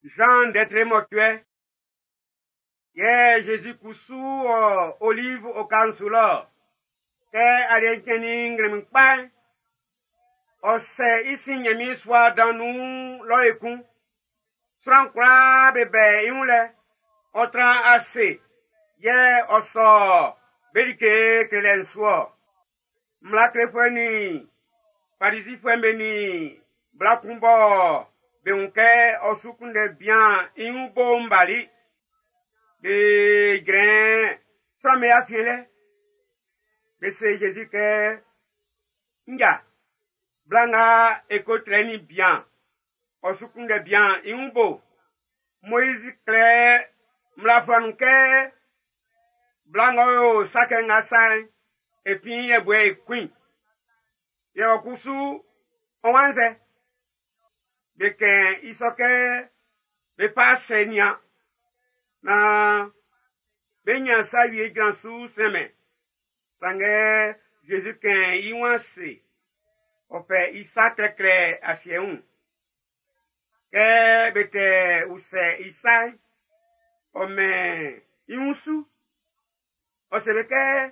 Zan ndɛ mɔcuɛ. Yɛ Zezi kusu wɔ Olive oka'n su lɔ. Kɛ aliɛ'n cɛnnin nglɛmun kpa'n, ɔ sɛ i sin Ɲanmiɛn sua dan nun lɔ ekun. Sran kwlaa be bɛ i wun lɛ. Ɔ tran ase, yɛ ɔ sɔ be like klelɛ'n su ɔ. Mmla klefuɛ nin Farizifuɛ'm be nin bla kun bɔ be wun kɛ ɔ su kunndɛ bian i wun bo'n bali. Be jrɛn sran'm be afiɛn lɛ. Be se Zezi kɛ, “Nja, bla nga e ko trɛ nin bian, ɔ su kunndɛ bian i wun bo. Moizi klɛ mmla fluwa nun kɛ bla ng'ɔ yo sa kɛ nga sa'n, e fin yɛbuɛ e kun i. Yɛ ɔ kusu ɔ waan sɛ?” Be kɛn i sɔ kɛ be fa sɛ nian naan be ɲan sa wie jran su sɛnmɛn. Sanngɛ Zezi kɛn i wun ase, ɔ fɛ i sa klɛklɛ asiɛ wun. Kɛ be tɛ usɛ i sa'n, ɔ mɛn i wun su. Ɔ se be kɛ,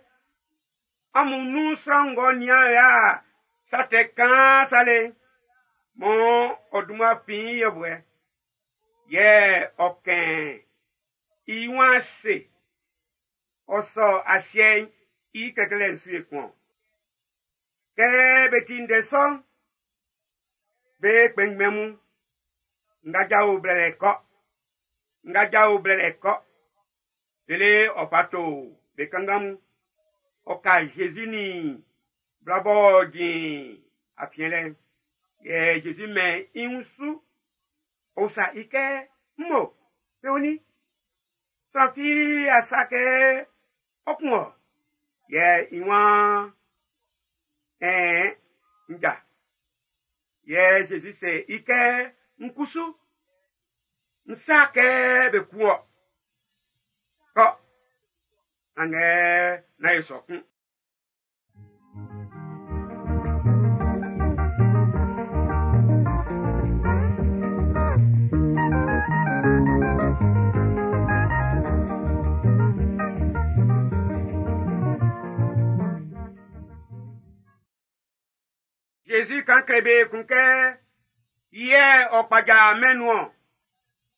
amun nun sran ng'ɔ nian ya sa tɛ kaan sa le, mɔ ɔ dunman fin yɛbuɛ. Yɛ ɔ kɛn i wun ase, ɔ sɔ asiɛ'n i klɛklɛ'n su ekun. Kɛ be ti ndɛ sɔ'n, be kpɛnngbɛn mun, nga jao blɛlɛ kɔ, nga jao blɛlɛ kɔ. Lele ɔ fa to be kanngan mun. Ɔ ka Zezi nin bla b'ɔ jin afiɛn lɛ'n. Yɛ Zezi mɛn i wun su. Ɔ usa i kɛ, “Mmo, be woni? Sran fi a sa kɛ ɔ kun ɔ?” Yɛ i waan, “Ɛɛn, nja.” Yɛ Zezi se i kɛ, “N kusu, n sa kɛ be kun ɔ. Kɔ, sanngɛ nán e sɔ kun.” Zezi kan kle be kun kɛ, yɛ ɔ kpaja mɛn nun ɔ.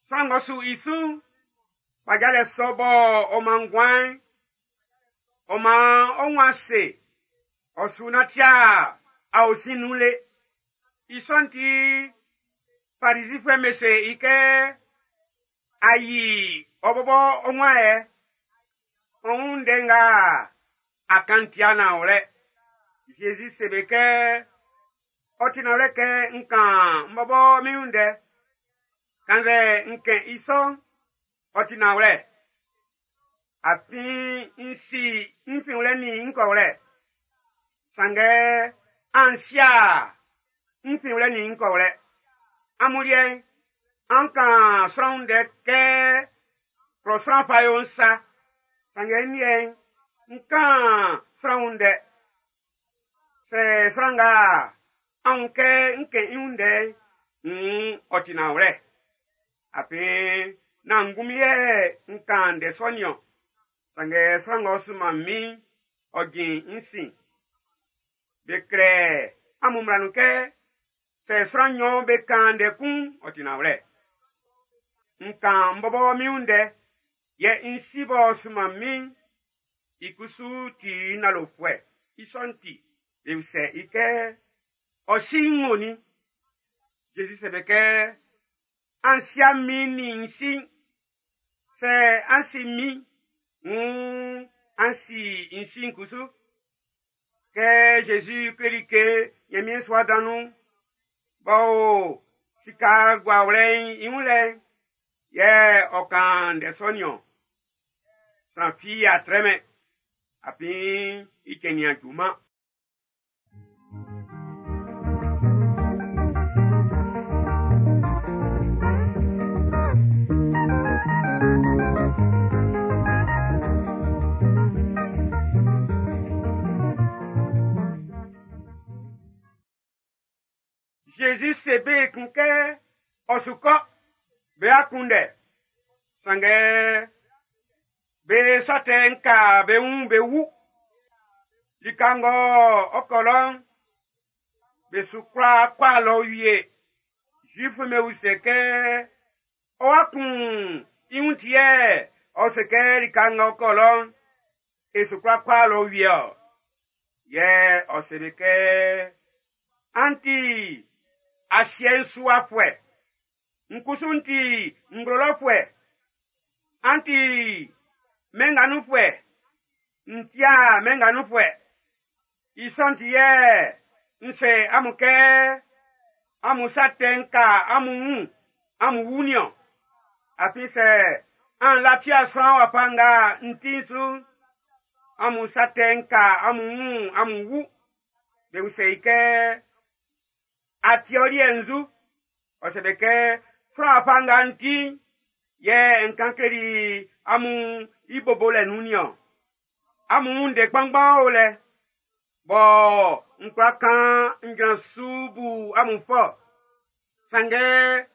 Sran ng'ɔ su i su'n, kpajalɛ sɔ bɔ ɔ man nguan'n, ɔ man ɔ wun ase, ɔ su nantia aosin nun le. I sɔ'n ti, Farizifuɛ'm be se i kɛ, “A yi ɔ bɔbɔ ɔ wun ayɛ. Ɔ wun ndɛ nga a kan tia nanwlɛ.” Zezi se be kɛ, “Ɔ ti nanwlɛ kɛ n kan n bɔbɔ min wun ndɛ. Kannzɛ n kɛn i sɔ'n, ɔ ti nanwlɛ. Afin n si n finwlɛ nin n kɔwlɛ. Sanngɛ an sia n finwlɛ nin n kɔwlɛ. Amun liɛ'n, an kan sran wun ndɛ kɛ klɔ sran fa yo'n sa. Sanngɛ n liɛ'n, n kan sran wun ndɛ. Sɛ sran nga an wun kɛ n kɛn i wun ndɛ'n, nn ɔ ti nanwlɛ. Afin nán ngunmin yɛ n kan ndɛ sɔ nin-ɔn. Sanngɛ sran ng'ɔ sunman min'n, ɔ jin n sin. Be klɛ amun mmla nun kɛ, sɛ sran nɲɔn be kan ndɛ kun'n, ɔ ti nanwlɛ. N kan n bɔbɔ min wun ndɛ, yɛ n si b'ɔ sunman min'n, i kusu ti nalofuɛ. I sɔ'n ti, be usɛ i kɛ, ɔ si n wo ni? Zezi se be kɛ, an sia min nin n si'n. Sɛ an si min, nn an si n si'n kusu. Kɛ Zezi kleli ke Ɲanmiɛn sua dan nun'n, b'ɔ o sika guawlɛ'n i wun lɛ'n, yɛ ɔ kan ndɛ sɔ nin-ɔn. Sran fi a trɛmɛn, afin i cɛn nin-a juman. Zezi se be kun kɛ ɔ su kɔ. Be akunndɛ, sanngɛ be sa tɛ'n ka be wun be wu. Lika ng'ɔ ɔ kɔ lɔ'n, be su kwla kɔ lɔ wie. Zuifu'm be usɛ kɛ, ɔ wa kun i wun ti yɛ ɔ se kɛ lika ng'ɔ kɔ lɔ'n, e su kwla kɔ lɔ wie ɔ. Yɛ ɔ se be kɛ, an ti asiɛ'n su wafuɛ, n kusu n ti nglo lɔfuɛ, an ti mɛn nga nunfuɛ, n ti'a mɛn nga nunfuɛ. I sɔ'n ti yɛ n se amun kɛ amun sa tɛ'n ka amun wun, amun wu niɔn. Afin sɛ an lafia sran wafa nga n ti'n su, amun sa tɛ'n ka amun wun, amun wu. Be usɛ i kɛ, a ti ɔ liɛ nzu? Ɔ se be kɛ, sran wafa nga n ti'n, yɛ n kan kleli amun i bobolɛ nun niɔn. Amun wun ndɛ kpanngban o lɛ, bɔ n kwla kan n jran su bu amun fɔ. Sanngɛ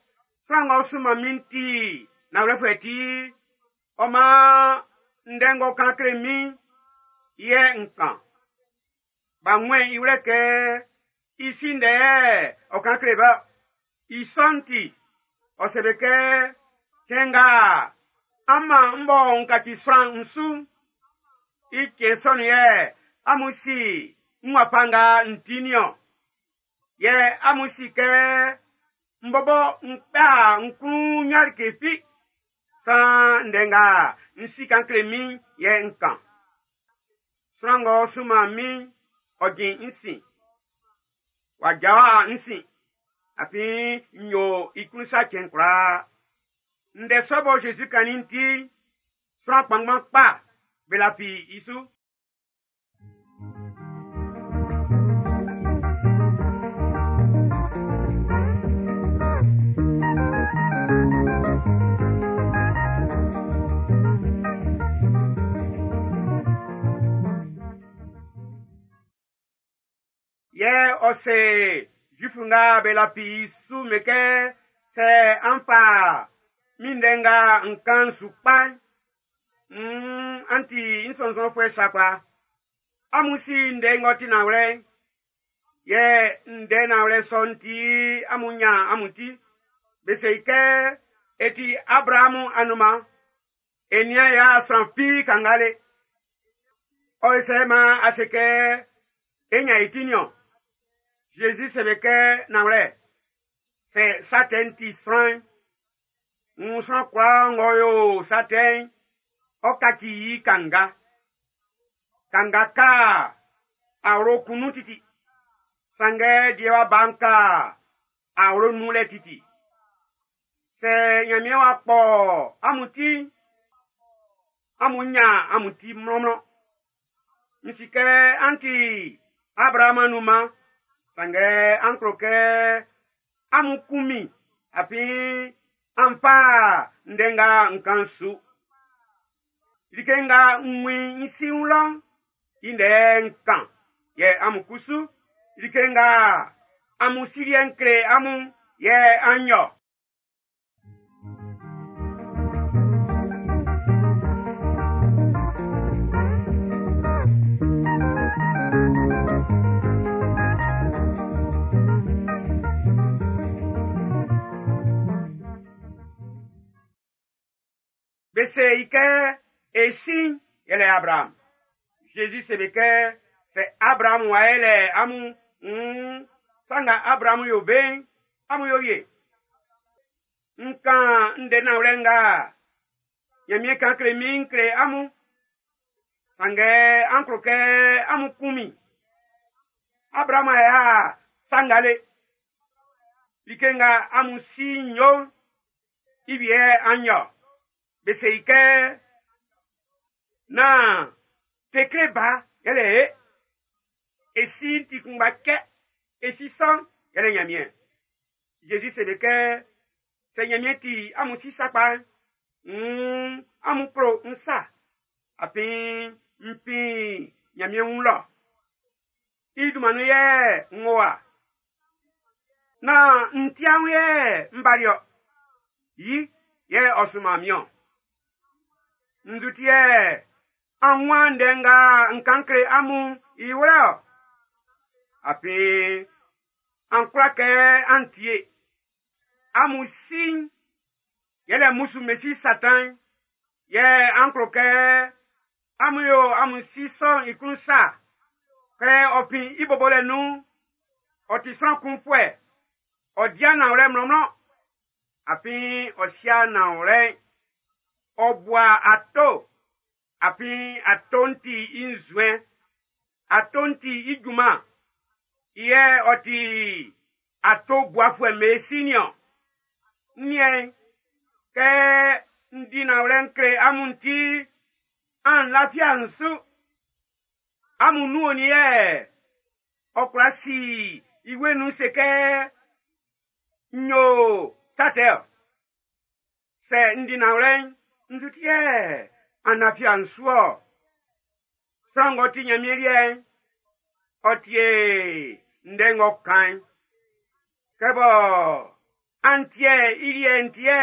sran ng'ɔ sunman min ti nanwlɛfuɛ ti, ɔ man ndɛ ng'ɔ kan kle min'n, yɛ n kan. B'a wun i wlɛ kɛ i si ndɛ yɛ ɔ kan kle be. I sɔ'n ti, ɔ se be kɛ, cɛn nga an man m bɔ n kaci sran n su, i cɛn sɔ'n yɛ amun si n wafa nga n ti niɔn. Yɛ amun si kɛ m bɔbɔ n kpɛ n klun nyan like fi. Sran ndɛ nga n si kan kle min yɛ n kan. Sran ng'ɔ sunman min'n, ɔ jin n sin. W'a jawa n sin. Afin n yo i klun sa cɛn kwlaa. Ndɛ sɔ bɔ Zezi kannin'n ti, sran kpanngban kpa be lafi i su. Yɛ ɔ se Zuifu nga be lafi i su me kɛ, sɛ an fa min ndɛ nga n kan'n su kpa'n, an ti n sɔnnzɔnfuɛ sakpa. Amun si ndɛ ng'ɔ ti nanwlɛ'n, yɛ ndɛ nanwlɛ sɔ'n ti amun nyan amun ti. Be se i kɛ, e ti Abrahamu anunman, e nian ya sran fi kangale. Ɔ sɛ man a se kɛ, e nyan e ti niɔn. Zezi se be kɛ, nanwlɛ, sɛ sa tɛ'n ti sran'n, n sran kwlaa ng'ɔ yo sa tɛ'n, ɔ kaci i kanga. Kanga ka awlo kun nun titi. Sanngɛ diewa ba'n ka awlo nun lɛ titi. Sɛ Ɲanmiɛn w'a kpɔ amun ti'n, amun ɲan amun ti mlɔnmlɔn. N si kɛ an ti Abrahamu anunman, sanngɛ an klo kɛ amun kun min, afin an fa ndɛ nga n kan'n su. Like nga n wun i si wun lɔ'n, i ndɛ n kan. Yɛ amun kusu, like nga amun si liɛ'n kle amun, yɛ an yo. Be se i kɛ, e sin yɛlɛ Abraham. Zezi se be kɛ, sɛ Abraham wa yɛlɛ amun, sa nga Abraham yo be'n, amun yo wie. N kan ndɛ nanwlɛ nga Ɲanmiɛn kan kle min kle amun. Sanngɛ an klo kɛ amun kun min. Abraham y'a sangale. Like nga amun si yo'n, i wie an yo. Be se i kɛ, nán tekle ba yɛlɛ e. E si ti kunngba cɛ, e si sɔ'n yɛlɛ Ɲanmiɛn. Zezi se be kɛ, sɛ Ɲanmiɛn ti amun si sakpa'n, amun klo n sa. Afin n fin Ɲanmiɛn wun lɔ. I dunman nun yɛ n wo wa. Nán n ti anwun yɛ n bali ɔ. Yi yɛ ɔ sunman min-ɔn. Nzu ti yɛ an wun ndɛ nga n kan kle amun i wlɛ-ɔ? Afin an kwla kɛ an tie. Amun si'n yɛlɛ mmusu mesi Satan, yɛ an klo kɛ amun yo amun si sɔ'n i klun sa. Kɛ ɔ fin i bobolɛ nun'n, ɔ ti sran kunfuɛ, ɔ di nanwlɛ mlɔnmlɔn, afin ɔ sia nanwlɛ'n. Ɔ bua ato, afin ato'n ti i nzuɛn. Ato'n ti i junman. I yɛ ɔ ti ato buafuɛ mesi niɔn. N niɛn, kɛ n di nanwlɛ n kle amun ti, an lafia n su. Amun nun onin yɛ ɔ kwla si i wue nun se kɛ n yo sa tɛ-ɔ? Sɛ n di nanwlɛ'n, nzu ti yɛ an lafia n su-ɔ? Sran ng'ɔ ti Ɲanmiɛn liɛ'n, ɔ tie ndɛ ng'ɔ kan'n. Kɛ bɔ an tie i liɛ'n ti yɛ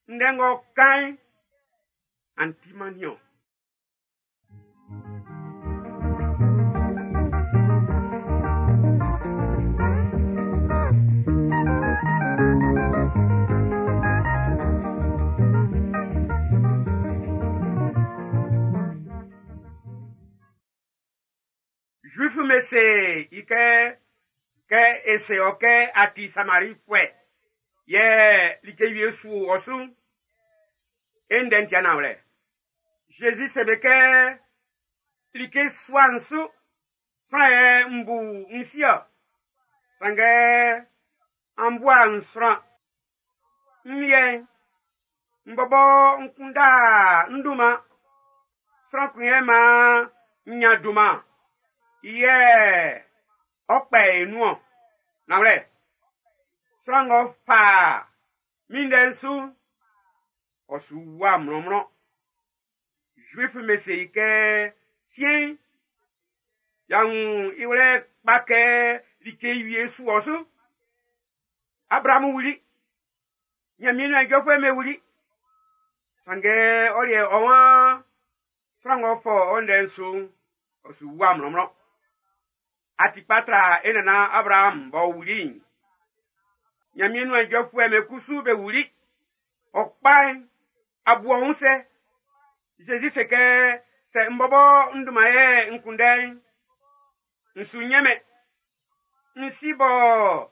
ndɛ ng'ɔ kan'n, an timan niɔn. Zuifu me se i kɛ, kɛ e se ɔ kɛ a ti Samarifuɛ, yɛ like wie su ɔ su'n, e ndɛ'n ti nanwlɛ. Zezi se be kɛ, like sua'n su, sran yɛ n bu n si-ɔ. Sanngɛ an bua n sran. N liɛ'n, n bɔbɔ n kunda n dunman. Sran kun yɛ maan n ɲan dunman. I yɛ ɔ kpɛ e nun-ɔn. Nanwlɛ, sran ng'ɔ fa min ndɛ'n su'n, ɔ su wua mlɔnmlɔn. Zuifu me se i kɛ, siɛn'n, y'a wun i wlɛ kpa kɛ like wie su ɔ su. Abrahamu wuli. Ɲanmiɛn nuan ijɔfuɛ'm be wuli. Sanngɛ ɔ liɛ ɔ waan sran ng'ɔ fɔ ɔ ndɛ'n su'n, ɔ su wua mlɔnmlɔn. A ti kpa tra e nannan Abraham b'ɔ wuli'n. Ɲanmiɛn nuan ijɔfuɛ'm be kusu be wuli. Ɔ kpa'n, a bu ɔ wun sɛ? Zezi se kɛ, sɛ n bɔbɔ n dunman yɛ n kunndɛ'n, n su ɲɛnmɛn. N si bɔ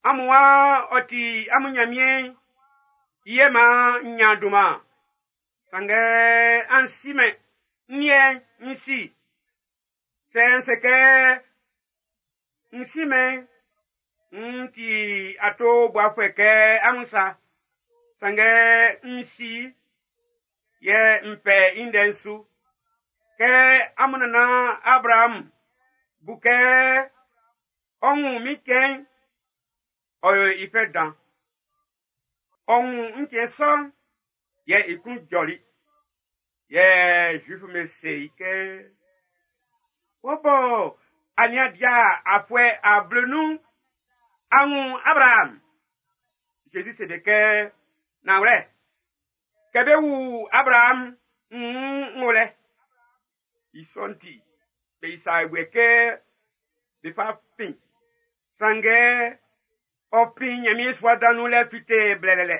amun waan ɔ ti amun Ɲanmiɛn'n, i yɛ maan n ɲan dunman. Sanngɛ an simɛn, n liɛ'n n si. Sɛ n se kɛ n simɛn, n ti ato buafuɛ kɛ amun sa. Sanngɛ n si, yɛ n fɛ i ndɛ'n su. Kɛ amun nannan Abraham bu kɛ ɔ wun min cɛn'n, ɔ yo i fɛ dan. Ɔ wun n cɛn sɔ'n, yɛ i klun jɔli. Yɛ Zuifu me se i kɛ, wɔ bɔ a nian dia afuɛ ablenun'n, a wun Abraham. Zezi se be kɛ, nanwlɛ, kɛ be wu Abraham, n wo lɛ. I sɔ'n ti, be isa ewue kɛ be fa fin. Sanngɛ, ɔ fin Ɲanmiɛn sua dan nun lɛ fite blɛlɛlɛ.